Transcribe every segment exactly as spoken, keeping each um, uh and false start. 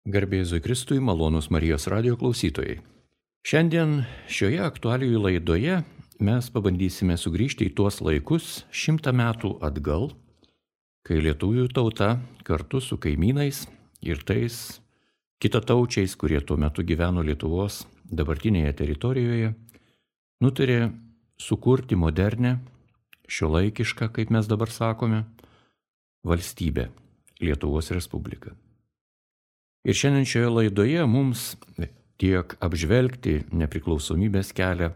Garbė Jėzui Kristui, malonūs Marijos radijo klausytojai. Šiandien šioje aktualijų laidoje mes pabandysime sugrįžti į tuos laikus šimtą metų atgal, kai lietuvių tauta kartu su kaimynais ir tais kitataučiais, kurie tuo metu gyveno Lietuvos dabartinėje teritorijoje, nutarė sukurti modernę, šiuolaikišką, kaip mes dabar sakome, valstybę, Lietuvos Respubliką. Ir šiandien šioje laidoje mums tiek apžvelgti nepriklausomybės kelią,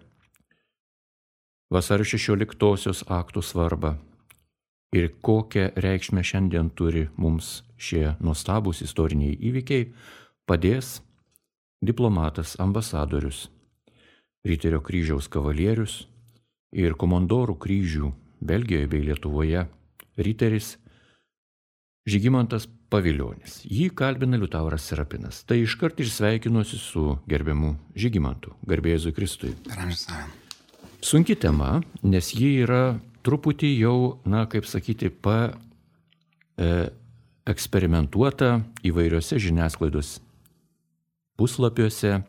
vasario šešioliktosios aktų svarbą ir kokią reikšmę šiandien turi mums šie nuostabūs istoriniai įvykiai, padės diplomatas, ambasadorius, Riterio kryžiaus kavalierius ir komandorų kryžių Belgijoje bei Lietuvoje riteris Žygimantas Pavilionis. Jį kalbina Liutauras Serapinas. Tai iškart ir sveikinuosi su gerbiamu Žygimantu. Garbė Jėzui Kristui. Sunki tema, nes ji yra truputį jau, na, kaip sakyti, pa e, eksperimentuota įvairiose žiniasklaidos puslapiuose,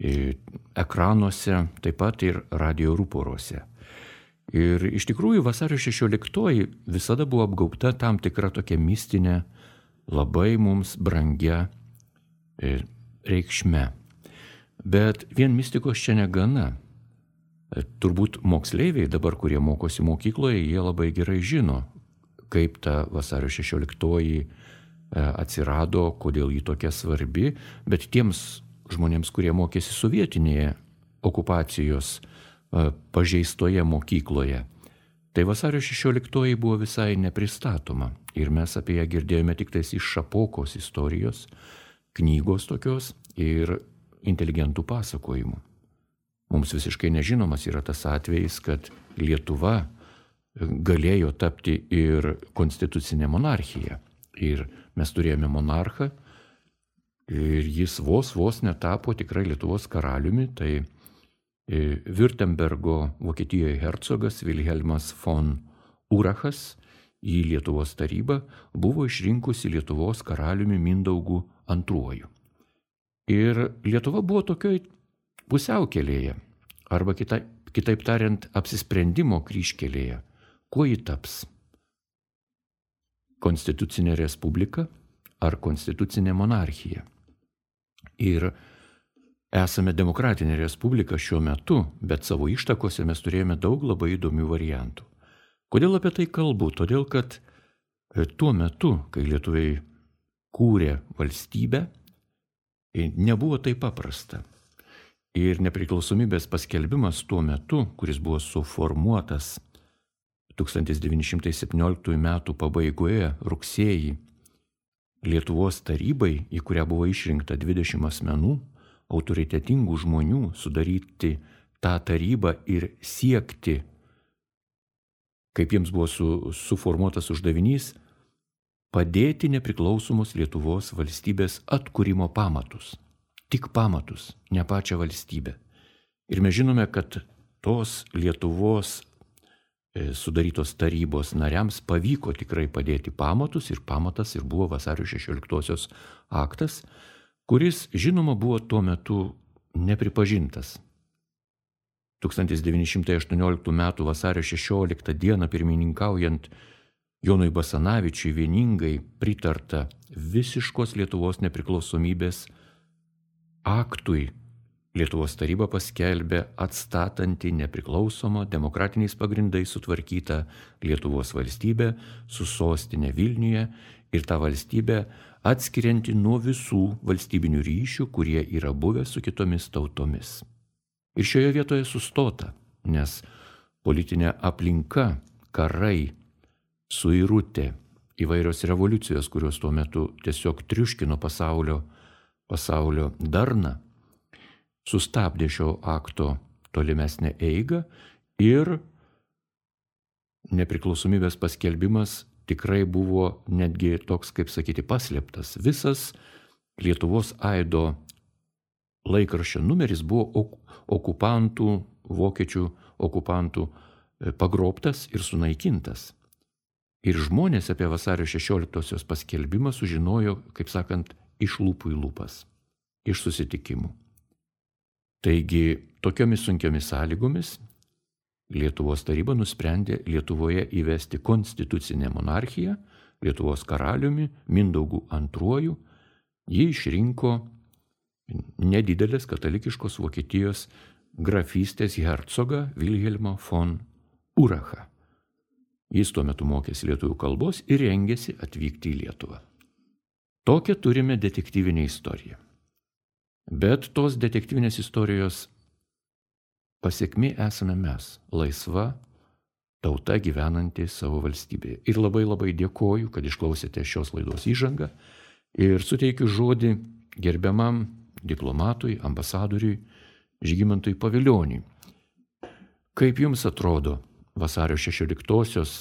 e, ekranuose, taip pat ir radio ruporuose. Ir iš tikrųjų vasario šešioliktoji visada buvo apgaubta tam tikra tokia mistinė, labai mums brangia e, reikšme. Bet vien mistikos čia negana. E, turbūt moksleiviai dabar, kurie mokosi mokykloje, jie labai gerai žino, kaip ta vasario šešioliktoji e, atsirado, kodėl ji tokia svarbi, bet tiems žmonėms, kurie mokėsi sovietinėje okupacijos pažeistoje mokykloje. Tai vasario šešioliktoji buvo visai nepristatoma ir mes apie ją girdėjome tik tais iš Šapokos istorijos, knygos tokios ir inteligentų pasakojimų. Mums visiškai nežinomas yra tas atvejis, kad Lietuva galėjo tapti ir konstitucinė monarchija. Ir mes turėjome monarchą ir jis vos vos netapo tikrai Lietuvos karaliumi, tai Württembergo Vokietijoje hercogas Vilhelmas von Urachas į Lietuvos tarybą buvo išrinkusi Lietuvos karaliumi Mindaugu antruoju. Ir Lietuva buvo tokioj pusiaukelėje, arba kita, kitaip tariant, apsisprendimo kryžkelėje. Kuo ji taps? Konstitucinė respublika ar konstitucinė monarchija? Ir esame demokratinė respublika šiuo metu, bet savo ištakose mes turėjome daug labai įdomių variantų. Kodėl apie tai kalbu? Todėl, kad tuo metu, kai lietuviai kūrė valstybę, nebuvo taip paprasta. Ir nepriklausomybės paskelbimas tuo metu, kuris buvo suformuotas tūkstantis devyni šimtai septynioliktųjų metų pabaigoje, rugsėjį, Lietuvos tarybai, į kurią buvo išrinkta dvidešimt asmenų, autoritetingų žmonių, sudaryti tą tarybą ir siekti, kaip jiems buvo su, suformuotas uždavinys, padėti nepriklausomos Lietuvos valstybės atkūrimo pamatus. Tik pamatus, ne pačią valstybę. Ir mes žinome, kad tos Lietuvos e, sudarytos tarybos nariams pavyko tikrai padėti pamatus ir pamatas ir buvo vasario šešioliktosios aktas, kuris, žinoma, buvo tuo metu nepripažintas. tūkstantis devyni šimtai aštuonioliktų metų vasario šešioliktą dieną pirmininkaujant Jonui Basanavičiui vieningai pritarta visiškos Lietuvos nepriklausomybės aktui. Lietuvos taryba paskelbė atstatanti nepriklausomą demokratiniais pagrindais sutvarkytą Lietuvos valstybę su sostinė Vilniuje ir tą valstybę atskirianti nuo visų valstybinių ryšių, kurie yra buvę su kitomis tautomis. Ir šioje vietoje sustota, nes politinė aplinka, karai, suirutė, įvairios revoliucijos, kurios tuo metu tiesiog triuškino pasaulio, pasaulio darną, sustabdė šio akto tolimesnę eigą ir nepriklausomybės paskelbimas tikrai buvo netgi toks, kaip sakyti, paslėptas. Visas Lietuvos aido laikraščio numeris buvo okupantų, vokiečių okupantų pagrobtas ir sunaikintas. Ir žmonės apie vasario šešioliktosios paskelbimą sužinojo, kaip sakant, iš lūpų į lūpas, iš susitikimų. Taigi, tokiomis sunkiomis sąlygomis Lietuvos taryba nusprendė Lietuvoje įvesti konstitucinę monarchiją, Lietuvos karaliumi Mindaugu antruoju. Jį išrinko nedidelės katalikiškos Vokietijos grafystės hercogą Vilhelmą von Urachą. Jis tuo metu mokėsi lietuvių kalbos ir rengėsi atvykti į Lietuvą. Tokią turime detektyvinę istoriją. Bet tos detektyvinės istorijos pasiekmi esame mes, laisva tauta gyvenanti savo valstybėje. Ir labai labai dėkoju, kad išklausėte šios laidos įžangą ir suteikiu žodį gerbiamam diplomatui, ambasadoriui Žygimantui Pavilioniui. Kaip jums atrodo vasario šešioliktosios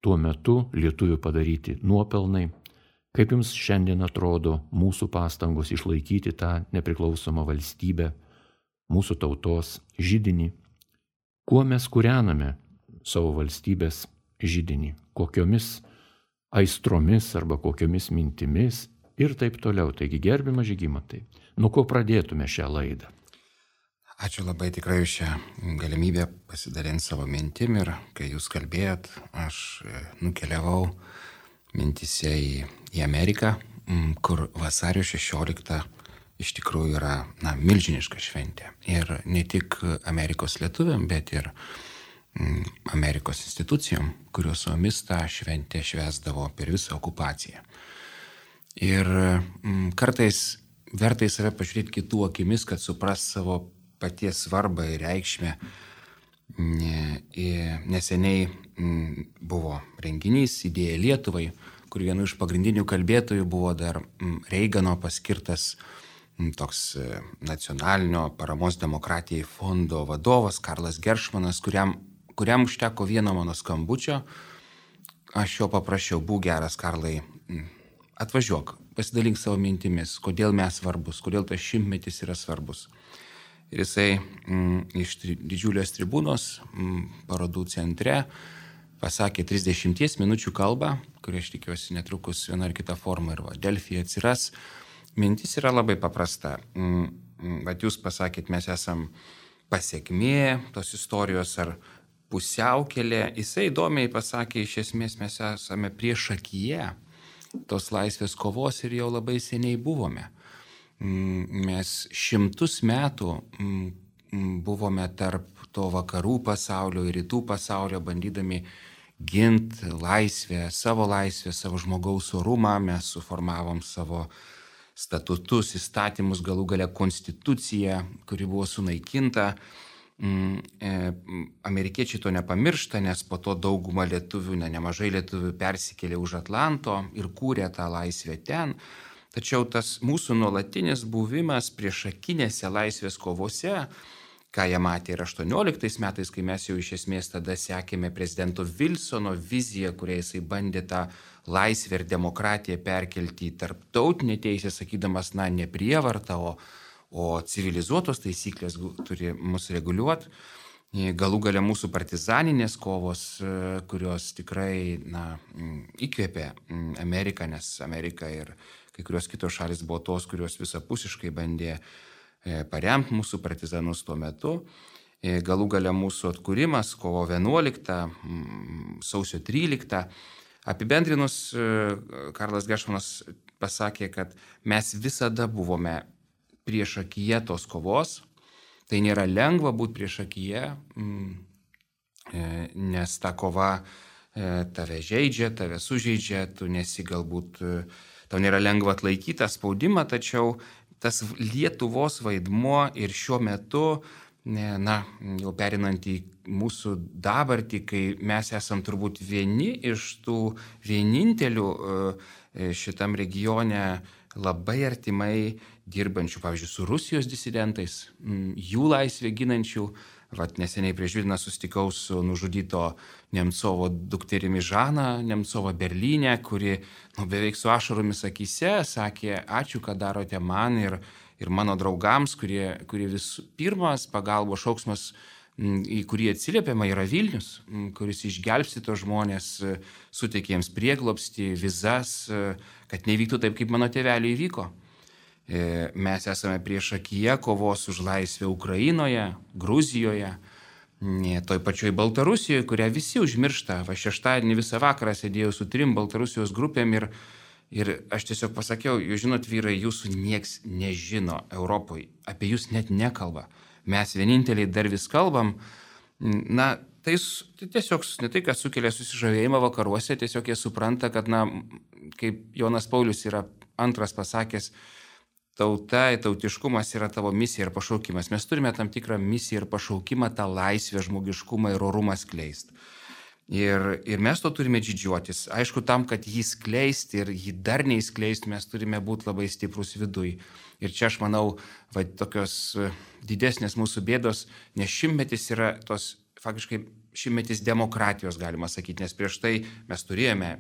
tuo metu lietuvių padaryti nuopelnai? Kaip jums šiandien atrodo mūsų pastangos išlaikyti tą nepriklausomą valstybę, mūsų tautos židinį? Kuo mes kūrename savo valstybės židinį? Kokiomis aistromis arba kokiomis mintimis ir taip toliau. Taigi, gerbiamas Žygimantai, nuo ko pradėtume šią laidą? Ačiū labai tikrai už šią galimybę pasidalinti savo mintim ir kai jūs kalbėjot, aš nukeliavau mintise į, į Ameriką, kur vasario šešioliktą iš tikrųjų yra na, milžiniška šventė. Ir ne tik Amerikos lietuviam, bet ir mm, Amerikos institucijom, kurios su mumis tą šventę švęsdavo per visą okupaciją. Ir mm, kartais verta į save pažiūrėti kitų akimis, kad supras savo paties svarbą ir reikšmę. Neseniai mm, buvo renginys Idėja Lietuvai, kur vienu iš pagrindinių kalbėtojų buvo dar mm, Reigano paskirtas toks nacionalinio paramos demokratijai fondo vadovas Karlas Geršmanas, kuriam, kuriam užteko vieno mano skambučio. Aš jo paprašiau, būk geras, Karlai, atvažiuok, pasidalink savo mintimis, kodėl mes svarbus, kodėl tas šimtmetis yra svarbus. Ir jisai mm, iš tri, didžiulės tribūnos mm, parodų centre pasakė trisdešimties minučių kalbą, kurią aš tikiuosi netrukus viena ar kita forma ir va, Delfyje atsiras. Mintis yra labai paprasta. Vat jūs pasakėt, mes esam pasiekmė tos istorijos ar pusiaukelė. Jisai įdomiai pasakė, iš esmės mes esame priešakyje tos laisvės kovos ir jau labai seniai buvome. Mes šimtus metų buvome tarp to vakarų pasaulio ir rytų pasaulio, bandydami ginti laisvę, savo laisvę, savo žmogaus orumą. Mes suformavom savo statutus, įstatymus, galų gale konstituciją, kuri buvo sunaikinta. Amerikiečiai to nepamiršta, nes po to dauguma lietuvių, ne, nemažai lietuvių persikėlė už Atlanto ir kūrė tą laisvę ten. Tačiau tas mūsų nuolatinis buvimas priešakinėse laisvės kovose, ką jie matė ir aštuonioliktais metais, kai mes jau iš esmės tada sekėme prezidento Vilsono viziją, kuria jisai bandė tą laisvę ir demokratiją perkelti į tarptautinę teisę, sakydamas, na, ne prievartą, o, o civilizuotos taisyklės turi mus reguliuoti. Galų gale mūsų partizaninės kovos, kurios tikrai na, įkvėpė Ameriką, nes Amerika ir kai kurios kitos šalis buvo tos, kurios visapusiškai bandė paremti mūsų partizanus tuo metu. Galų gale mūsų atkūrimas kovo vienuoliktą, sausio tryliktą. Apibendrinus, Karlas Geršmanas pasakė, kad mes visada buvome priešakyje tos kovos. Tai nėra lengva būti priešakyje, nes ta kova tave žeidžia, tave sužeidžia, tu nesi galbūt, tau nėra lengva atlaikyti tą spaudimą, tačiau tas Lietuvos vaidmuo ir šiuo metu, na, jau perinant į mūsų dabartį, kai mes esam turbūt vieni iš tų vienintelių šitam regione labai artimai dirbančių, pavyzdžiui, su Rusijos disidentais, jų laisvę ginančių. Vat neseniai prieš dvi dienas susitikau su nužudyto Nemcovo dukterimi Žana Nemcovo Berlyne, kuri nu, beveik su ašaromis akyse sakė, ačiū, kad darote man ir, ir mano draugams, kurie, kurie vis pirmas pagalbos šauksmas į kurį atsiliepiama, yra Vilnius, kuris išgelbsti tos žmonės, suteikė jiems prieglobstį, vizas, kad nevyktų taip, kaip mano tėveliui įvyko. Mes esame priešakyje kovos už laisvę Ukrainoje, Gruzijoje, toj pačioj Baltarusijoje, kurią visi užmiršta. Va šeštadienį visą vakarą sėdėjau su trim Baltarusijos grupėm ir, ir aš tiesiog pasakiau, jūs žinot, vyrai, jūsų nieks nežino Europoje, apie jūs net nekalba. Mes vieninteliai dar vis kalbam. Na, tai, tai tiesiog ne tai, kas sukelia susižavėjimą vakaruose, tiesiog jie supranta, kad, na, kaip Jonas Paulius yra antras pasakęs, tauta, tautiškumas yra tavo misija ir pašaukimas. Mes turime tam tikrą misiją ir pašaukimą, tą laisvę, žmogiškumą ir orumą skleisti. Ir, ir mes to turime didžiuotis. Aišku, tam, kad jį skleisti ir jį dar neįskleisti, mes turime būti labai stiprus viduj. Ir čia aš manau, va, tokios didesnės mūsų bėdos, nes šimtmetis yra tos, faktiškai šimtmetis demokratijos, galima sakyti, nes prieš tai mes turėjome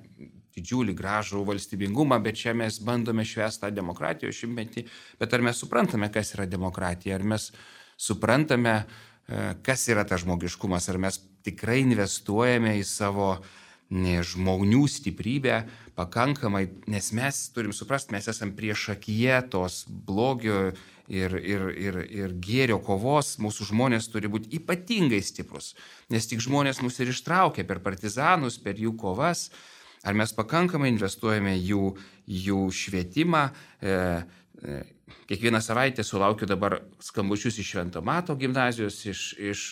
didžiulį gražų valstybingumą, bet čia mes bandome švęsti tą demokratijos šimtmetį. Bet ar mes suprantame, kas yra demokratija, ar mes suprantame, kas yra tas žmogiškumas, ar mes tikrai investuojame į savo žmonių stiprybę pakankamai, nes mes turim suprasti, mes esam priešakyje tos blogio ir, ir, ir, ir gėrio kovos, mūsų žmonės turi būti ypatingai stiprus, nes tik žmonės mus ir ištraukia per partizanus, per jų kovas, ar mes pakankamai investuojame jų, jų švietimą. E, e, kiekvieną savaitę sulaukiu dabar skambučius iš Švento Mato gimnazijos, iš, iš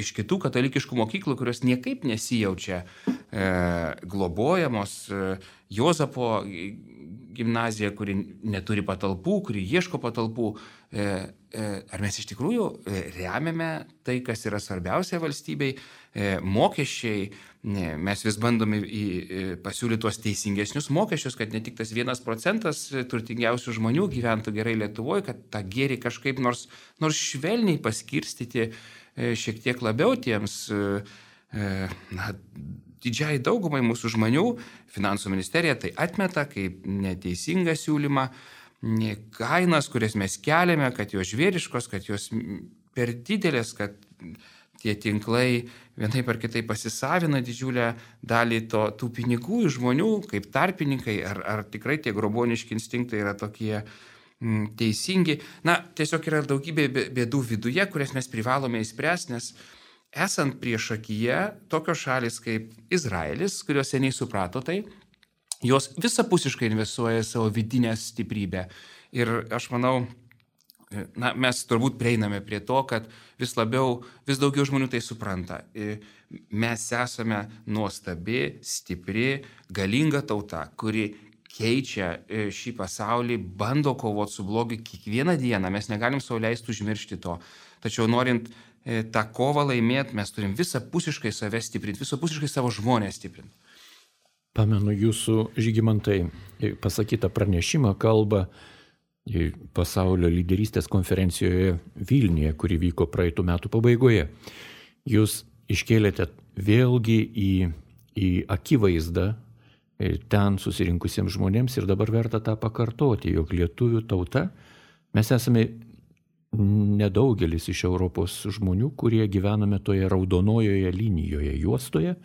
iš kitų katalikiškų mokyklų, kurios niekaip nesijaučia e, globojamos, e, Jozapo gimnazija, kuri neturi patalpų, kuri ieško patalpų. E, e, ar mes iš tikrųjų remiame tai, kas yra svarbiausia valstybei, e, mokesčiai, ne, mes vis bandome į, pasiūlyti tuos teisingesnius mokesčius, kad ne tik tas vienas procentas turtingiausių žmonių gyventų gerai Lietuvoje, kad tą gėrį kažkaip nors, nors švelniai paskirstyti šiek tiek labiau tiems, na, didžiai daugumai mūsų žmonių. Finansų ministerija tai atmeta kaip neteisingą siūlymą, kainas, kurias mes keliame, kad jos žvėriškos, kad jos per didelės, kad tie tinklai vienaip ar kitaip pasisavina didžiulę dalį to, tų pinigų iš žmonių kaip tarpininkai, ar, ar tikrai tie groboniški instinktai yra tokie mm, teisingi. Na, tiesiog yra daugybė bėdų viduje, kurias mes privalome įspręsti, nes esant priešakyje tokios šalis kaip Izraelis, kurios seniai suprato tai, jos visapusiškai investuoja savo vidinę stiprybę. Ir aš manau, na, mes turbūt prieiname prie to, kad vis labiau, vis daugiau žmonių tai supranta. Mes esame nuostabi, stipri, galinga tauta, kuri keičia šį pasaulį, bando kovoti su blogiu kiekvieną dieną. Mes negalim sau leisti užmiršti to. Tačiau norint tą kovą laimėti, mes turim visapusiškai save stiprinti, visapusiškai savo žmonės stiprinti. Pamenu jūsų, Žygimantai, pasakytą pranešimą, kalbą pasaulio lyderystės konferencijoje Vilniuje, kuri vyko praeitų metų pabaigoje. Jūs iškėlėte vėlgi į, į akivaizdą ten susirinkusiems žmonėms ir dabar verta tą pakartoti, jog lietuvių tauta, mes esame nedaugelis iš Europos žmonių, kurie gyvename toje raudonojoje linijoje, juostoje,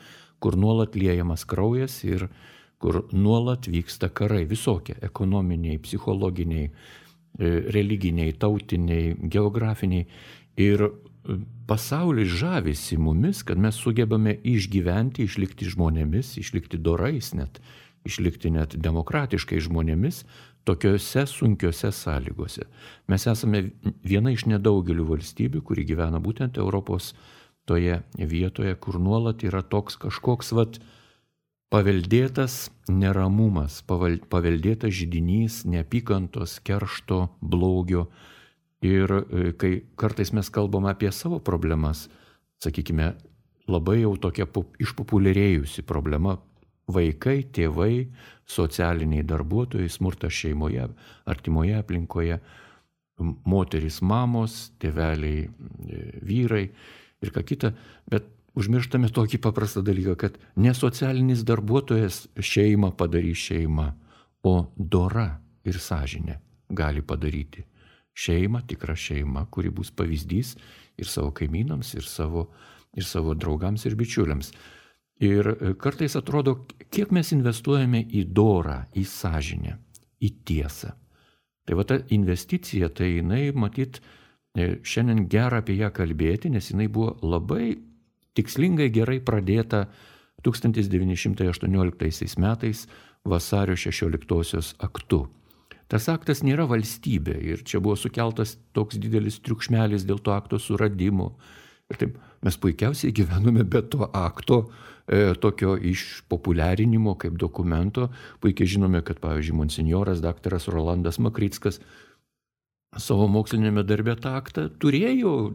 kur nuolat liejamas kraujas ir kur nuolat vyksta karai visokie, ekonominiai, psichologiniai, religiniai, tautiniai, geografiniai. Ir pasaulis žavisi mumis, kad mes sugebame išgyventi, išlikti žmonėmis, išlikti dorais net, išlikti net demokratiškai žmonėmis tokiose sunkiose sąlygose. Mes esame viena iš nedaugelių valstybių, kuri gyvena būtent Europos toje vietoje, kur nuolat yra toks kažkoks vat paveldėtas neramumas, paveldėtas židinys neapykantos, keršto, blogio. Ir kai kartais mes kalbame apie savo problemas, sakykime, labai jau tokia išpopuliarėjusi problema - vaikai, tėvai, socialiniai darbuotojai, smurtas šeimoje, artimoje aplinkoje, moterys, mamos, tėveliai, vyrai ir ką kita, bet užmirštame tokį paprastą dalyką, kad ne socialinis darbuotojas šeimą padarys šeimą, o dora ir sąžinė gali padaryti šeimą, tikrą šeimą, kuri bus pavyzdys ir savo kaimynams, ir savo, ir savo draugams, ir bičiuliams. Ir kartais atrodo, kiek mes investuojame į dorą, į sąžinę, į tiesą. Tai va ta investicija, tai jinai, matyt, šiandien gera apie ją kalbėti, nes jinai buvo labai tikslingai gerai pradėta tūkstantis devyni šimtai aštuonioliktaisiais metais vasario šešioliktosios aktu. Tas aktas nėra valstybė ir čia buvo sukeltas toks didelis triukšmelis dėl to akto suradimo. Ir taip, mes puikiausiai gyvenome be to akto, e, tokio išpopuliarinimo kaip dokumento. Puikiai žinome, kad, pavyzdžiui, monsinjoras daktaras Rolandas Makrickas savo mokslinėme darbe tą aktą turėjo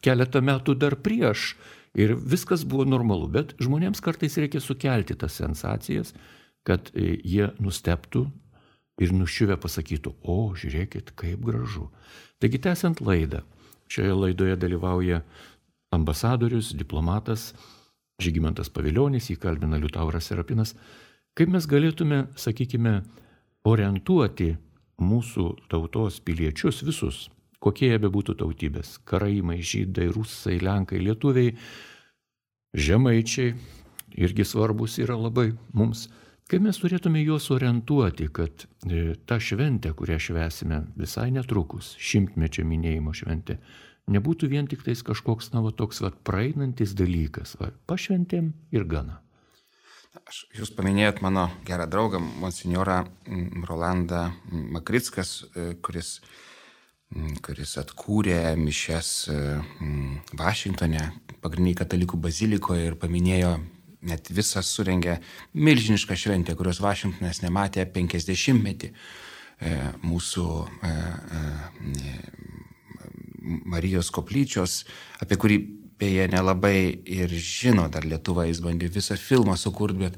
keletą metų dar prieš ir viskas buvo normalu. Bet žmonėms kartais reikia sukelti tas sensacijas, kad jie nustebtų ir nuščiuvę pasakytų, o, žiūrėkit, kaip gražu. Taigi, tęsiant laidą, šioje laidoje dalyvauja ambasadorius, diplomatas Žygimantas Pavilionis, jį kalbina Liutauras Serapinas. Kaip mes galėtume, sakykime, orientuoti mūsų tautos piliečius visus, kokie jie bebūtų tautybės, karaimai, žydai, rusai, lenkai, lietuviai, žemaičiai, irgi svarbus yra labai mums. Kaip mes turėtume juos orientuoti, kad ta šventė, kurią švęsime visai netrukus, šimtmečio minėjimo šventė, nebūtų vien tik tais kažkoks, na, va, toks va, praeinantis dalykas. Va, pašventėm ir gana. Aš, jūs paminėjot mano gerą draugą, monsinjorą Rolandą Makrickas, kuris, kuris atkūrė mišias Vašingtone, pagrindiniai katalikų bazilikoje ir paminėjo, net visas surengė milžinišką šventę, kurios Vašingtonas nematė penkiasdešimtmetį mūsų Marijos koplyčios, apie kurį beje nelabai ir žino dar Lietuva, jis bandė visą filmą sukurti, bet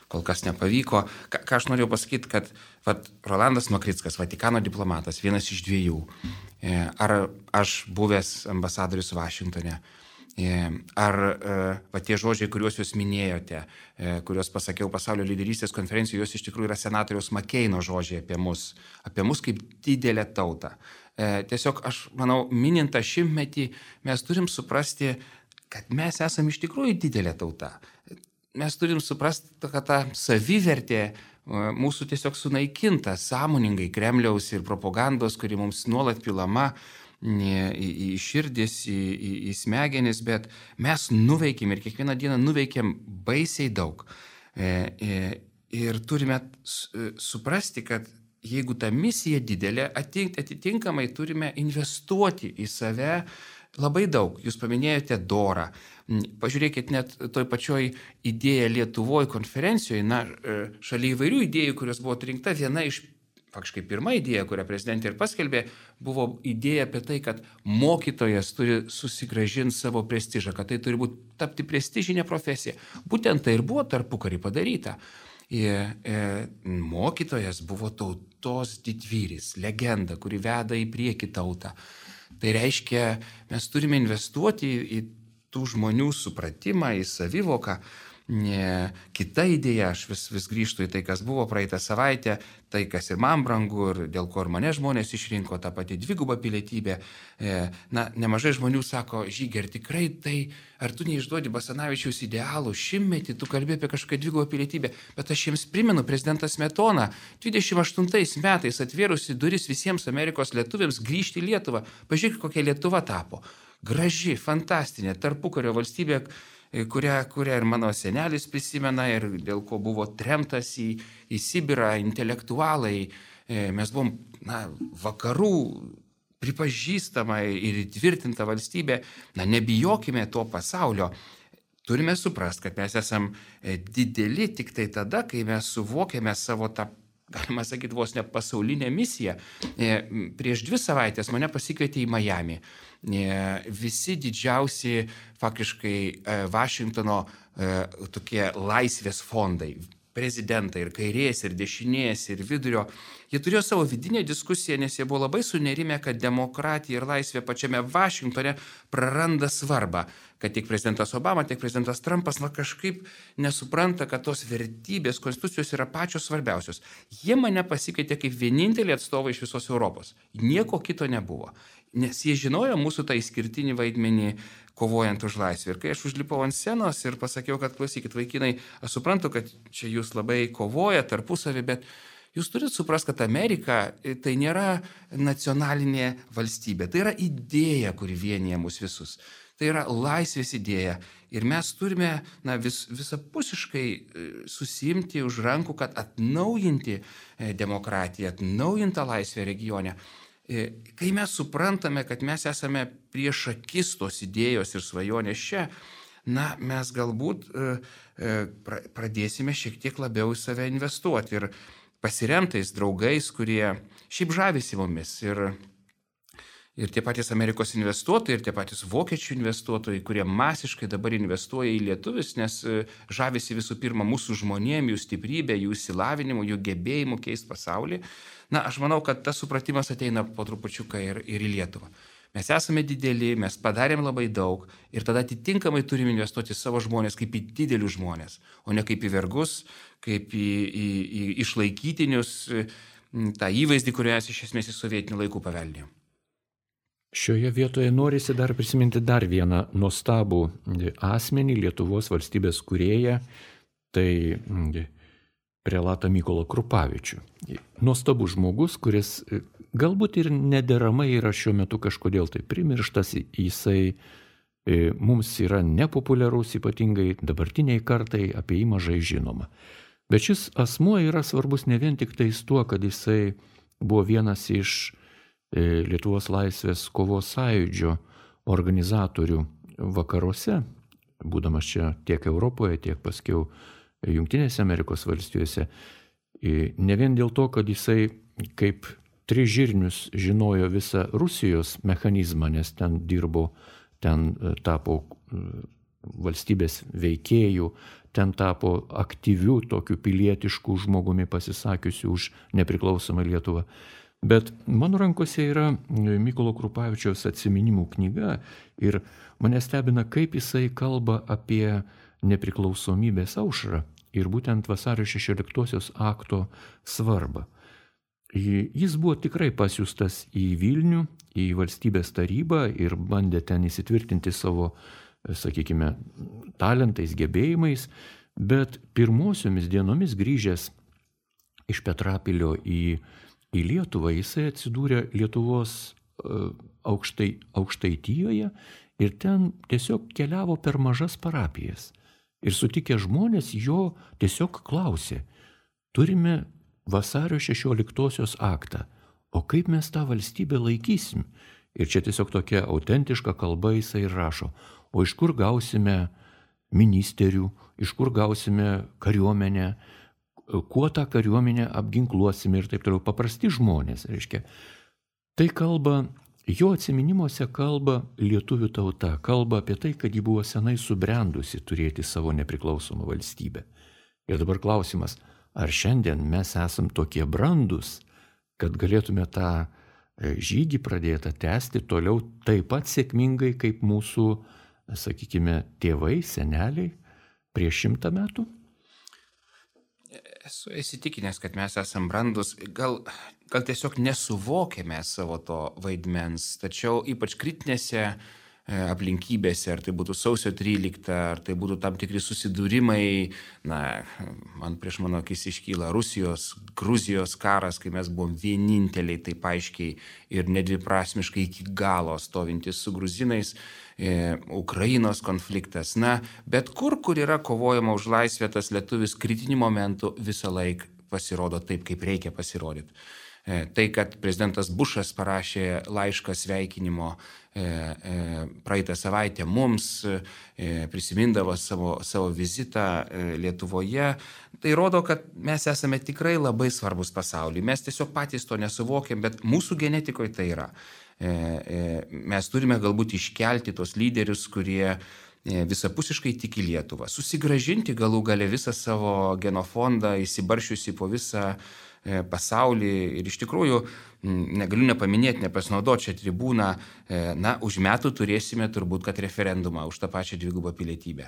kol kas nepavyko. Ką, ką aš norėjau pasakyti, kad vat, Rolandas Makrickas, Vatikano diplomatas, vienas iš dviejų, ar aš buvęs ambasadorius Vašingtone, ar va, tie žodžiai, kuriuos jūs minėjote, kuriuos pasakiau pasaulio lyderystės konferencijoje, jos iš tikrųjų yra senatoriaus Makeino žodžiai apie mus, apie mus kaip didelę tautą. Tiesiog aš manau, minint tą šimtmetį, mes turim suprasti, kad mes esame iš tikrųjų didelė tauta. Mes turim suprasti, kad ta savivertė mūsų tiesiog sunaikinta sąmoningai Kremliaus ir propagandos, kuri mums nuolat pilama į, į širdis, į, į, į smegenis, bet mes nuveikėm ir kiekvieną dieną nuveikėm baisiai daug. Ir turime suprasti, kad jeigu ta misija didelė, atitinkamai turime investuoti į save labai daug. Jūs paminėjote dorą. Pažiūrėkit, net toj pačioj idėja Lietuvoje konferencijoje, na, šalia įvairių idėjų, kurios buvo atrinkta, viena iš, faktiškai pirma idėja, kurią prezidentė ir paskelbė, buvo idėja apie tai, kad mokytojas turi susigrąžinti savo prestižą, kad tai turi būti tapti prestižinė profesija. Būtent tai ir buvo tarpukarį padaryta. Ir, e, mokytojas buvo tautos didvyris, legenda, kuri veda į priekį tautą. Tai reiškia, mes turime investuoti į, į tų žmonių supratimą, į savivoką. Ne, kita idėja, aš vis, vis grįžtu į tai, kas buvo praeitą savaitę, tai, kas ir man brangu ir dėl ko ir mane žmonės išrinko, tą patį dvigubą pilietybę. E, na, nemažai žmonių sako, Žygi, ar tikrai tai, ar tu neišduodi Basanavičiaus idealų, šimtmetį tu kalbė apie kažkokią dvigubą pilietybę, bet aš jiems primenu, prezidentas Smetona dvidešimt aštuntais metais atvėrusi duris visiems Amerikos lietuviams grįžti į Lietuvą. Pažiūrėk, kokia Lietuva tapo. Graži, fantastinė, tarpukario valstybė, kurią, kurią ir mano senelis prisimena ir dėl ko buvo tremtas į, į Sibirą intelektualai. Mes buvom, na, vakarų pripažįstama ir įtvirtinta valstybė. Na, nebijokime to pasaulio. Turime suprasti, kad mes esam dideli tik tai tada, kai mes suvokiame savo tą, galima sakyti, vos ne pasaulinę misiją. Prieš dvi savaitės mane pasikvietė į Miami. Visi didžiausi faktiškai Vašingtono tokie laisvės fondai, prezidentai, ir kairės, ir dešinės, ir vidurio, jie turėjo savo vidinę diskusiją, nes jie buvo labai sunerimę, kad demokratija ir laisvė pačiame Vašingtone praranda svarbą, kad tiek prezidentas Obama, tiek prezidentas Trumpas na, kažkaip nesupranta, kad tos vertybės, konstitucijos yra pačios svarbiausios. Jie mane pasikeitė kaip vienintelį atstovą iš visos Europos. Nieko kito nebuvo. Nes jie žinojo mūsų tą išskirtinį vaidmenį kovojant už laisvę. Ir kai aš užlipau ant scenos ir pasakiau, kad klausykit, vaikinai, aš suprantu, kad čia jūs labai kovoja tarpusavį, bet jūs turite suprasti, kad Amerika tai nėra nacionalinė valstybė. Tai yra idėja, kuri vienyje mus visus. Tai yra laisvės idėja. Ir mes turime na, vis, visapusiškai susimti už rankų, kad atnaujinti demokratiją, atnaujintą laisvę regione. Kai mes suprantame, kad mes esame prieš akis tos idėjos ir svajonės čia, na, mes galbūt e, e, pradėsime šiek tiek labiau į save investuoti ir pasiremtais draugais, kurie šiaip žavisi mumis. Ir, ir tie patys Amerikos investuotojai, ir tie patys vokiečių investuotojai, kurie masiškai dabar investuoja į lietuvius, nes žavisi visų pirma mūsų žmonėm, jų stiprybė, jų įsilavinimu, jų gebėjimu keisti pasaulį. Na, aš manau, kad tas supratimas ateina po trupučiuką ir, ir į Lietuvą. Mes esame dideli, mes padarėm labai daug ir tada atitinkamai turime investuoti savo žmonės kaip į didelius žmonės, o ne kaip į vergus, kaip į, į, į išlaikytinius, tą įvaizdį, kurį mes iš esmės iš sovietinių laikų paveldėjom. Šioje vietoje norisi dar prisiminti dar vieną nuostabų asmenį, Lietuvos valstybės kūrėją, tai prelatą Mykolą Krupavičių. Nuostabus žmogus, kuris galbūt ir nederamai yra šiuo metu kažkodėl tai primirštas, jisai mums yra nepopuliarus, ypatingai dabartiniai kartai, apie jį mažai žinoma. Bet šis asmuo yra svarbus ne vien tik tais tuo, kad jisai buvo vienas iš Lietuvos laisvės kovos sąjūdžio organizatorių vakaruose, būdamas čia tiek Europoje, tiek paskiau Jungtinėse Amerikos valstijose. Ne vien dėl to, kad jisai kaip tris žirnius žinojo visą Rusijos mechanizmą, nes ten dirbo, ten tapo valstybės veikėjų, ten tapo aktyvių, tokių pilietiškų žmogumi pasisakiusių už nepriklausomą Lietuvą. Bet mano rankose yra Mykolo Krupavičiaus atsiminimų knyga ir mane stebina, kaip jisai kalba apie nepriklausomybės aušrą ir būtent vasario šešioliktosios akto svarbą. Jis buvo tikrai pasiųstas į Vilnių, į valstybės tarybą ir bandė ten įsitvirtinti savo, sakykime, talentais, gebėjimais, bet pirmosiomis dienomis grįžęs iš Petrapilio į, į Lietuvą, jisai atsidūrė Lietuvos aukštai, Aukštaitijoje ir ten tiesiog keliavo per mažas parapijas. Ir sutikę žmonės jo tiesiog klausė, turime vasario šešioliktosios aktą, o kaip mes tą valstybę laikysim? Ir čia tiesiog tokia autentiška kalba jisai rašo, o iš kur gausime ministerių, iš kur gausime kariuomenę, kuo tą kariuomenę apginkluosime ir taip toliau. Paprasti žmonės, reiškia. Tai kalba, jo atsiminimuose kalba lietuvių tauta, kalba apie tai, kad ji buvo senai subrendusi turėti savo nepriklausomą valstybę. Ir dabar klausimas, ar šiandien mes esam tokie brandus, kad galėtume tą žygį pradėtą tęsti toliau taip pat sėkmingai kaip mūsų, sakykime, tėvai, seneliai prieš šimtą metų? Esu įsitikinęs, kad mes esam brandus, gal, gal tiesiog nesuvokėme savo to vaidmens, tačiau ypač kritinėse aplinkybėse, ar tai būtų sausio trylikta, ar tai būtų tam tikri susidūrimai, na, man prieš mano akis iškyla Rusijos, Gruzijos karas, kai mes buvom vieninteliai taip aiškiai ir nedviprasmiškai iki galo stovintis su gruzinais, e, Ukrainos konfliktas, na, bet kur, kur yra kovojama už laisvę, tas lietuvis kritiniu momentu visą laiką pasirodo taip, kaip reikia pasirodyti. Tai, kad prezidentas Bušas parašė laišką sveikinimo praeitą savaitę mums, prisimindavo savo, savo vizitą Lietuvoje, tai rodo, kad mes esame tikrai labai svarbus pasauliui. Mes tiesiog patys to nesuvokiam, bet mūsų genetikoje tai yra. Mes turime galbūt iškelti tos lyderius, kurie visapusiškai tik į Lietuvą, susigražinti galų gale visą savo genofondą, įsibaršiusi po visą pasaulį. Ir iš tikrųjų, negaliu nepaminėti, nepasinaudoti šią tribūną, na, už metų turėsime turbūt, kad referendumą už tą pačią dvigubą pilietybę.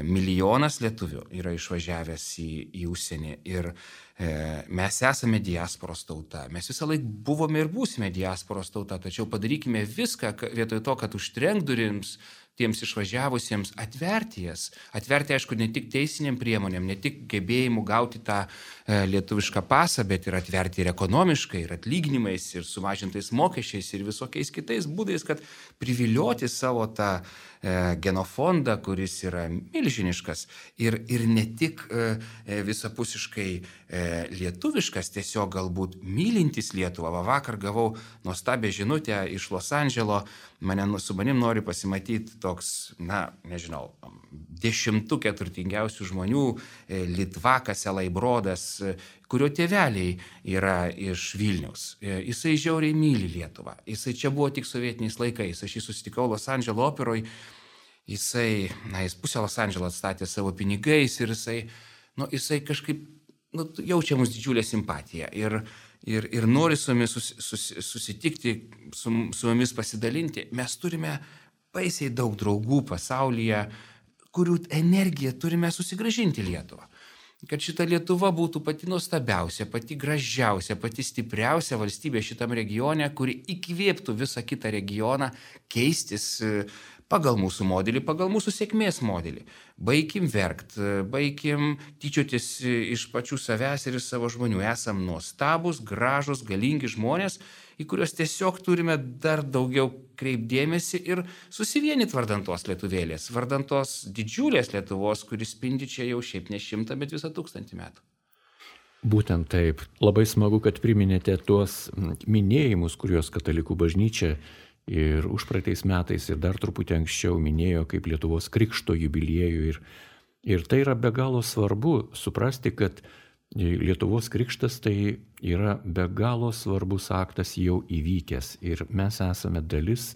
Milijonas lietuvių yra išvažiavęs į, į užsienį ir e, mes esame diasporos tauta. Mes visą laiką buvome ir būsime diasporos tauta, tačiau padarykime viską vietoj to, kad užtrenk durims tiems išvažiavusiems, atverti jas. Atverti, aišku, ne tik teisiniam priemonėm, ne tik gebėjimu gauti tą e, lietuvišką pasą, bet ir atverti ir ekonomiškai, ir atlyginimais, ir sumažintais mokesčiais, ir visokiais kitais būdais, kad privilioti savo tą e, genofondą, kuris yra milžiniškas ir, ir ne tik e, visapusiškai e, lietuviškas, tiesiog galbūt mylintis Lietuvą. Va, vakar gavau nuostabią žinutę iš Los Andželo, mane, su manim nori pasimatyti toks, na, nežinau, dešimtukė turtingiausių žmonių, Litvakas Elaibrodas, kurio tėveliai yra iš Vilniaus. Jisai žiauriai myli Lietuvą. Jisai čia buvo tik sovietiniais laikais. Aš jį susitikau Los Andželo operoj. Jisai, na, jis pusę Los Andželo atstatė savo pinigais ir jisai, nu, jisai kažkaip, nu, jaučia mums didžiulę simpatiją. Ir Ir, ir nori su mumis sus, sus, susitikti, su, su mumis pasidalinti. Mes turime baisiai daug draugų pasaulyje, kurių energiją turime susigrąžinti Lietuvą. Kad šita Lietuva būtų pati nuostabiausia, pati gražiausia, pati stipriausia valstybė šitam regione, kuri įkvėptų visą kitą regioną keistis pagal mūsų modelį, pagal mūsų sėkmės modelį. Baikim verkt, baikim tyčiotis iš pačių savęs ir iš savo žmonių. Esam nuostabus, gražus, galingi žmonės, į kuriuos tiesiog turime dar daugiau kreipdėmėsi ir susivienyti vardantos lietuvėlės, vardantos didžiulės Lietuvos, kuris spindi čia jau šiaip ne šimtą, bet visą tūkstantį metų. Būtent taip. Labai smagu, kad priminėte tuos minėjimus, kuriuos Katalikų bažnyčia ir užpraeitais metais ir dar truputį anksčiau minėjo kaip Lietuvos krikšto jubiliejų. Ir, ir tai yra be galo svarbu suprasti, kad Lietuvos krikštas tai yra be galo svarbus aktas jau įvykęs. Ir mes esame dalis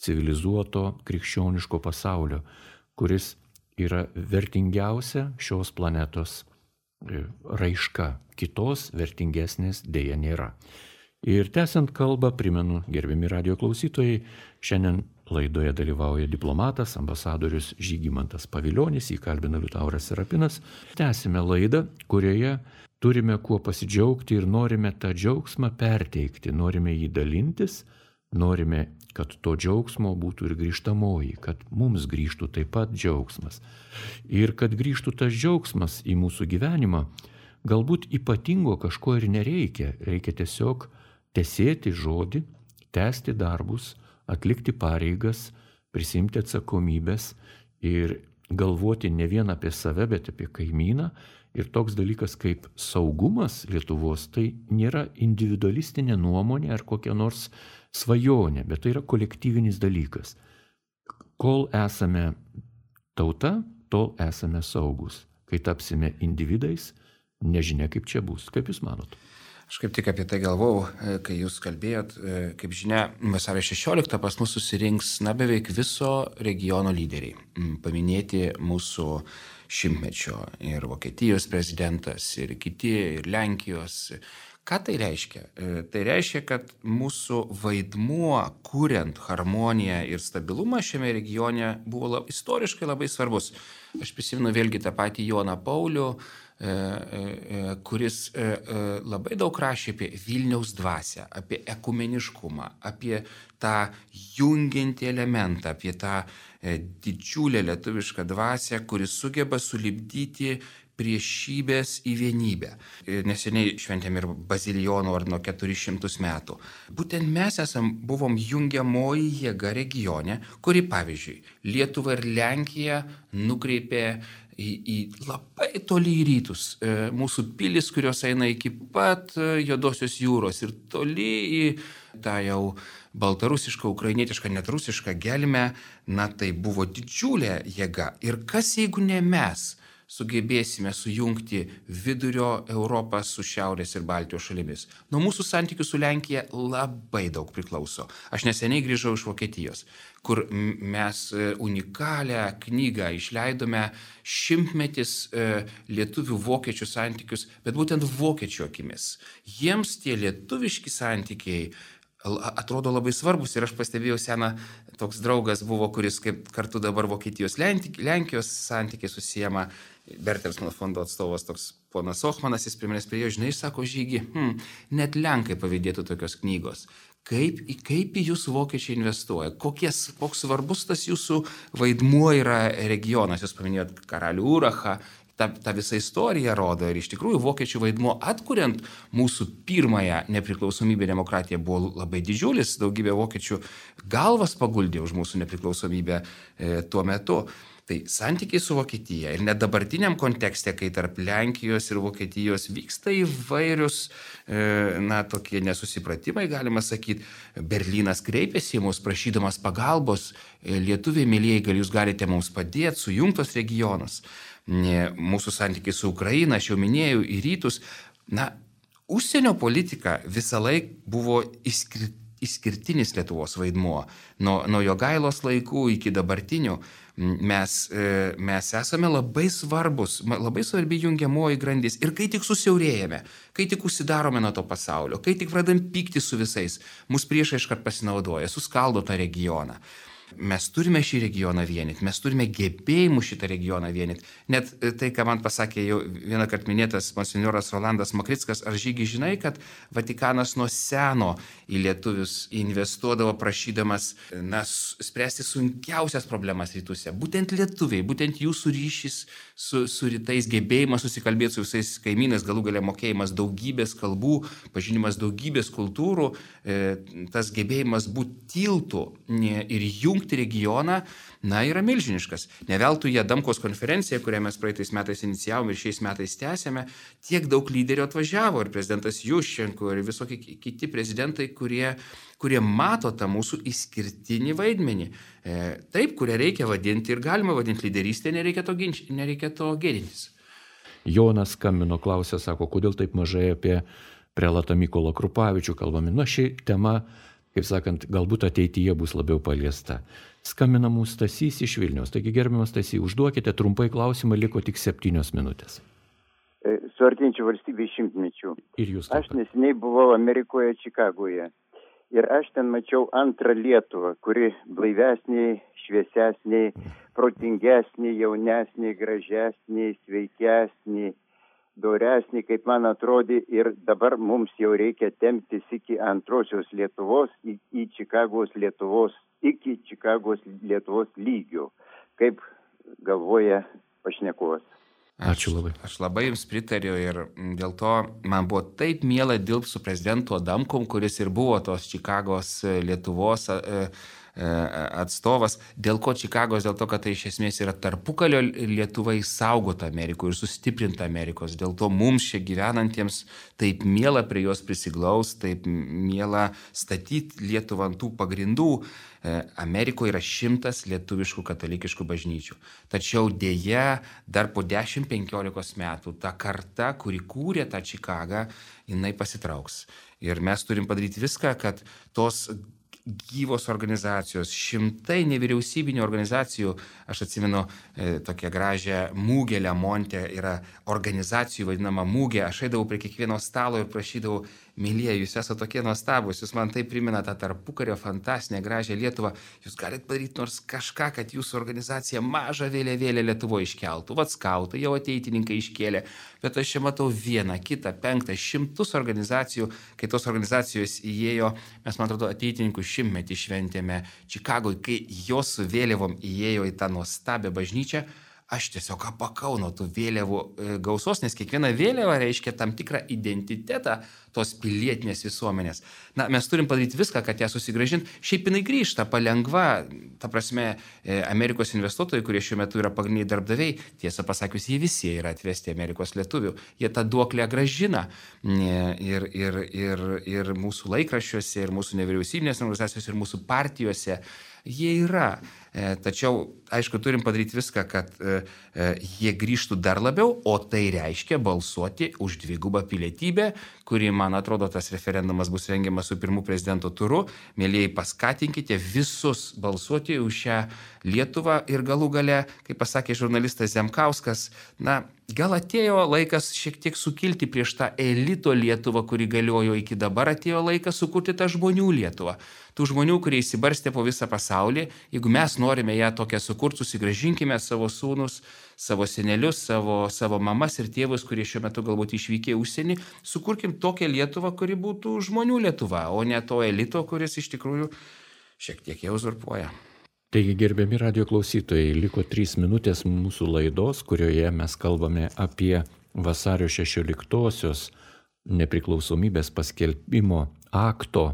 civilizuoto krikščioniško pasaulio, kuris yra vertingiausia šios planetos raiška. Kitos vertingesnės dėja nėra. Ir tęsiant kalbą, primenu, gerbiami radijo klausytojai, šiandien laidoje dalyvauja diplomatas, ambasadorius Žygimantas Pavilionis, jį kalbina Liutauras Serapinas. Tęsime laidą, kurioje turime kuo pasidžiaugti ir norime tą džiaugsmą perteikti, norime jį dalintis, norime, kad to džiaugsmo būtų ir grįžtamoji, kad mums grįžtų taip pat džiaugsmas. Ir kad grįžtų tas džiaugsmas į mūsų gyvenimą, galbūt ypatingo kažko ir nereikia, reikia tiesiog tesėti žodį, tęsti darbus, atlikti pareigas, prisimti atsakomybės ir galvoti ne vien apie save, bet apie kaimyną. Ir toks dalykas kaip saugumas Lietuvos, tai nėra individualistinė nuomonė ar kokia nors svajonė, bet tai yra kolektyvinis dalykas. Kol esame tauta, tol esame saugus. Kai tapsime individais, nežinia kaip čia bus. Kaip Jūs manot? Aš kaip tik apie tai galvau, kai Jūs kalbėjot. Kaip žinia, vasario šešioliktą pas mus susirinks na, beveik viso regiono lyderiai. Paminėti mūsų šimtmečio ir Vokietijos prezidentas, ir kiti, ir Lenkijos. Ką tai reiškia? Tai reiškia, kad mūsų vaidmuo, kuriant harmoniją ir stabilumą šiame regione, buvo lab, istoriškai labai svarbus. Aš prisimenu vėlgi tą patį Joną Paulių, kuris labai daug rašė apie Vilniaus dvasią, apie ekumeniškumą, apie tą jungiantį elementą, apie tą didžiulę lietuvišką dvasią, kuris sugeba sulipdyti priešybės į vienybę. Neseniai šventėm ir Bazilijonų ordino keturis šimtus metų. Būtent mes esam, buvom jungiamoji jėga regione, kuri, pavyzdžiui, Lietuva ir Lenkija nukreipė į, į labai toli į rytus. Mūsų pilis, kurios eina iki pat Juodosios jūros ir toli į tą jau baltarusišką, ukrainietišką, net rusišką gelmę, na tai buvo didžiulė jėga. Ir kas jeigu ne mes sugebėsime sujungti vidurio Europą su Šiaurės ir Baltijos šalimis. Nuo mūsų santykių su Lenkija labai daug priklauso. Aš neseniai grįžau iš Vokietijos, kur mes unikalią knygą išleidome šimtmetis lietuvių vokiečių santykius, bet būtent vokiečių akimis. Jiems tie lietuviški santykiai atrodo labai svarbus ir aš pastebėjau seną, toks draugas buvo, kuris kaip kartu dabar Vokietijos Lenkijos santykiai susijama, Bertelsmanno fondo atstovas toks ponas Ochmanas, jis prie manęs prie jo, žinai, sako, Žygi, hm, net Lenkai pavydėtų tokios knygos. Kaip, kaip į jūsų vokiečiai investuoja, kokies, koks svarbus tas jūsų vaidmuo yra regionas, jūs paminėjot karalių Urachą, ta, ta visa istorija rodo ir iš tikrųjų vokiečių vaidmuo atkuriant mūsų pirmąją nepriklausomybę demokratiją buvo labai didžiulis, daugybė vokiečių galvas paguldė už mūsų nepriklausomybę e, tuo metu. Tai santykiai su Vokietija ir net dabartiniam kontekste, kai tarp Lenkijos ir Vokietijos vyksta įvairius, e, na, tokie nesusipratimai, galima sakyti, Berlynas kreipėsi į mus prašydamas pagalbos, e, lietuviai mėlyjei, gal jūs galite mums padėti, sujungtos regionus. Mūsų santykiai su Ukraina, aš jau minėjau, į rytus, na, užsienio politika visą laiką buvo išskirti. Išskirtinis Lietuvos vaidmuo. Nuo, nuo Jogailos laikų iki dabartinių mes, mes esame labai svarbus, labai svarbi jungiamoji grandis. Ir kai tik susiaurėjame, kai tik užsidarome nuo to pasaulio, kai tik pradam pykti su visais, mus priešai iškart pasinaudoja, suskaldo tą regioną. Mes turime šį regioną vienyti, mes turime gebėjimų šitą regioną vienyti. Net tai, ką man pasakė jau vieną kartą minėtas monsinjoras Rolandas Makrickas, ar Žygi žinai, kad Vatikanas nuo seno į lietuvius investuodavo prašydamas, na, spręsti sunkiausias problemas rytuose. Būtent lietuviai, būtent jūsų ryšys su, su rytais, gebėjimas susikalbėti su visais kaimynais, galų galia mokėjimas daugybės kalbų, pažinimas daugybės kultūrų, tas gebėjimas būti tiltu ir jungti regioną, na, yra milžiniškas. Ne veltui Adamkaus konferencija, kurią mes praeitais metais inicijavome ir šiais metais tęsėme, tiek daug lyderių atvažiavo ir prezidentas Juščenko ir visokie kiti prezidentai, kurie, kurie mato tą mūsų išskirtinį vaidmenį. E, taip, kurią reikia vadinti ir galima vadinti lyderystė, nereikia to, ginč, nereikia to gėdintis. Jonas skambino, klausė, sako, kodėl taip mažai apie prelatą Mykolą Krupavičių kalbame. Nu, ši tema, kaip sakant, galbūt ateityje bus labiau paliesta. Skambina mūsų Stasys iš Vilniaus. Taigi, gerbiamas Stasy, užduokite trumpai klausimą, liko tik septynios minutės. Su artėjančiu valstybės šimtmečiu. Ir jūs. Aš neseniai buvau Amerikoje, Čikagoje. Ir aš ten mačiau antrą Lietuvą, kuri blaivesnė, šviesesnė, protingesnė, jaunesnė, gražesnė, sveikesnė, doresnį, kaip man atrodė, ir dabar mums jau reikia temptis iki antrosios Lietuvos, į, į Čikagos Lietuvos, iki Čikagos Lietuvos lygio, kaip galvoja pašnekovas. Ačiū labai. Aš, aš labai jums pritariu ir dėl to man buvo taip miela dirbti su prezidentu Adamkum, kuris ir buvo tos Čikagos Lietuvos atstovas. Dėl ko Čikagos? Dėl to, kad tai iš esmės yra tarpukalio Lietuva išsaugota Amerikoje ir sustiprinta Amerikos. Dėl to mums čia gyvenantiems taip miela prie jos prisiglaus, taip miela statyti Lietuvą ant tų pagrindų. Amerikoje yra šimtas lietuviškų katalikiškų bažnyčių. Tačiau dėja, dar po dešimt penkiolikos metų ta karta, kuri kūrė tą Čikagą, jinai pasitrauks. Ir mes turim padaryti viską, kad tos gyvos organizacijos, šimtai nevyriausybinių organizacijų, aš atsimenu e, tokią gražią mūgę Lemonte, yra organizacijų vadinama mūgė, aš eidavau prie kiekvieno stalo ir prašydavau, mylieji, jūs esate tokie nuostabus, jūs man tai primena tą tarpukario fantastinę gražią Lietuvą, jūs galite padaryti nors kažką, kad jūsų organizacija mažą vėliavėlę Lietuvoje iškeltų, vat skautai, jau ateitininkai iškėlė, bet aš čia matau vieną, kitą, penktą, šimtus organizacijų, kai tos organizacijos įėjo, mes, man atrodo, ateitininkų šimtmetį šventėme Čikagoje, kai jos su vėliavom įėjo į tą nuostabią bažnyčią, aš tiesiog apakau nuo tų vėliavų gausos, nes kiekviena vėliava reiškia tam tikrą identitetą tos pilietinės visuomenės. Na, mes turim padaryti viską, kad ją susigrąžinti. Šiaip jinai grįžta palengva, ta prasme, Amerikos investuotojai, kurie šiuo metu yra pagrindiniai darbdaviai, tiesą pasakius, jie visi yra atvesti Amerikos lietuvių. Jie tą duoklę grąžina ir, ir, ir, ir mūsų laikraščiuose, ir mūsų nevyriausybinės organizacijose, ir mūsų partijose. jie yra. Tačiau, aišku, turim padaryti viską, kad jie grįžtų dar labiau, o tai reiškia balsuoti už dvigubą pilietybę, kuri, man atrodo, tas referendumas bus rengiamas su pirmu prezidento turu. Mėlyjei, paskatinkite visus balsuoti už šią Lietuvą ir galų gale, kaip pasakė žurnalistas Zemkauskas, na, gal atėjo laikas šiek tiek sukilti prieš tą elito Lietuvą, kuri galiojo iki dabar, atėjo laikas sukurti tą žmonių Lietuvą. Tų žmonių, kurie įsibarstė po visą pasaulį, jeigu mes norime ją tokią sukurti, susigrąžinkime savo sūnus, savo senelius, savo, savo mamas ir tėvus, kurie šiuo metu galbūt išvykė į užsienį, sukurkim tokią Lietuvą, kuri būtų žmonių Lietuva, o ne to elito, kuris iš tikrųjų šiek tiek jau uzurpuoja. Taigi, gerbiami radio klausytojai, liko trys minutės mūsų laidos, kurioje mes kalbame apie vasario šešioliktosios nepriklausomybės paskelbimo akto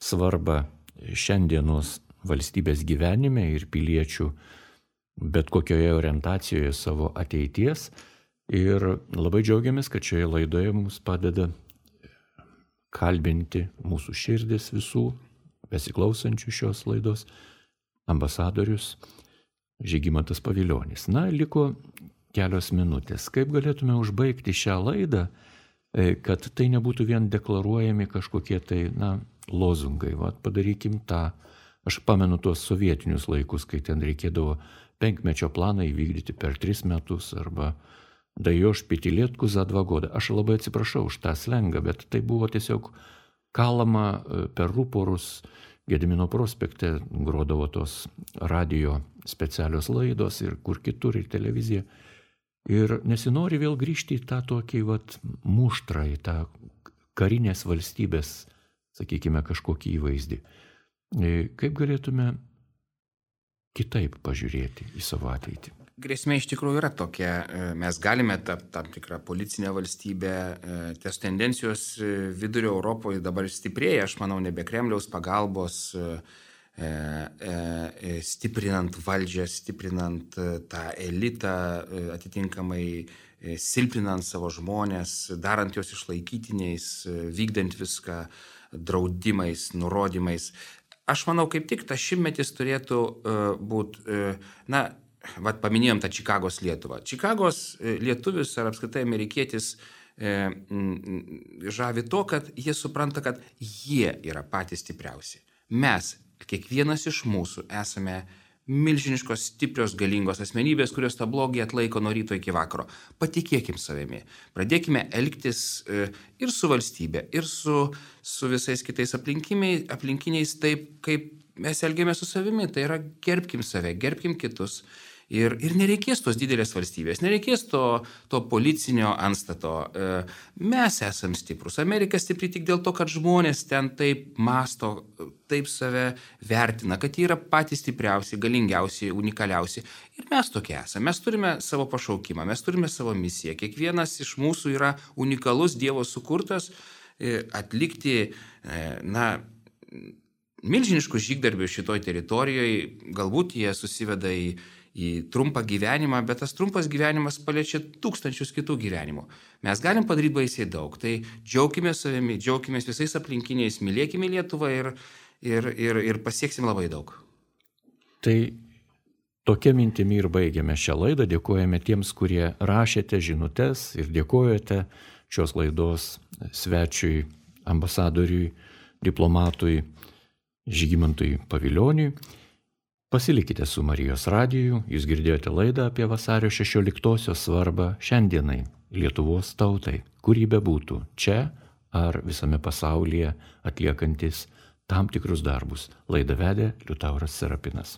svarbą šiandienos valstybės gyvenime ir piliečių bet kokioje orientacijoje savo ateities. Ir labai džiaugiamės, kad šioje laidoje mums padeda kalbinti mūsų širdis visų besiklausančių šios laidos ambasadorius Žygimantas Pavilionis. Na, liko kelios minutės. Kaip galėtume užbaigti šią laidą, kad tai nebūtų vien deklaruojami kažkokie tai, na, lozungai. Vat padarykim tą. Aš pamenu tuos sovietinius laikus, kai ten reikėdavo penkmečio planą įvykdyti per tris metus arba dajoš pitilėtkų za dva goda. Aš labai atsiprašau už tą slengą, bet tai buvo tiesiog kalama per ruporus. Gedimino prospekte grodavo tos radio specialios laidos ir kur kitur, ir televizija. Ir nesinori vėl grįžti į tą tokį vat, muštrą, į tą karinės valstybės, sakykime, kažkokį įvaizdį. Kaip galėtume kitaip pažiūrėti į savo ateitį? Grėsmė iš tikrųjų yra tokia. Mes galime tapti tam tikrą policinę valstybę. Ties tendencijos vidurio Europoje dabar stiprėja, aš manau, nebe Kremliaus pagalbos, stiprinant valdžią, stiprinant tą elitą, atitinkamai silpinant savo žmonės, darant juos išlaikytiniais, vykdant viską draudimais, nurodymais. Aš manau, kaip tik tas šimtmetis turėtų būti, na, vat paminėjom tą Čikagos Lietuvą. Čikagos lietuvis ar apskritai amerikietis e, žavi to, kad jie supranta, kad jie yra patys stipriausi. Mes, kiekvienas iš mūsų, esame milžiniškos, stiprios, galingos asmenybės, kurios tą blogį atlaiko nuo ryto iki vakaro. Patikėkim savimi. Pradėkime elgtis e, ir su valstybė, ir su, su visais kitais aplinkiniais taip, kaip mes elgiamės su savimi. Tai yra, gerbkim save, gerbkim kitus. Ir, ir nereikės tos didelės valstybės, nereikės to, to policinio antstato. Mes esam stiprus. Amerika stipri tik dėl to, kad žmonės ten taip masto, taip save vertina, kad jie yra patys stipriausi, galingiausi, unikaliausi. Ir mes tokie esame. Mes turime savo pašaukimą, mes turime savo misiją. Kiekvienas iš mūsų yra unikalus, Dievo sukurtas atlikti, na, milžiniškus žygdarbius šitoj teritorijoje. Galbūt jie susiveda į į trumpą gyvenimą, bet tas trumpas gyvenimas paliečia tūkstančius kitų gyvenimų. Mes galim padaryti baisiai daug, tai džiaukime savimi, džiaukime visais aplinkiniais, mylėkime Lietuvą ir, ir, ir, ir pasieksim labai daug. Tai tokia mintimi ir baigiame šią laidą. Dėkojame tiems, kurie rašėte žinutes ir dėkojate šios laidos svečiui, ambasadoriui, diplomatui Žygimantui Pavilioniui. Pasilikite su Marijos radiju, jūs girdėjote laidą apie vasario šešioliktosios svarbą šiandienai Lietuvos tautai, kur ji bebūtų, čia ar visame pasaulyje atliekantis tam tikrus darbus. Laidą vedė Liutauras Serapinas.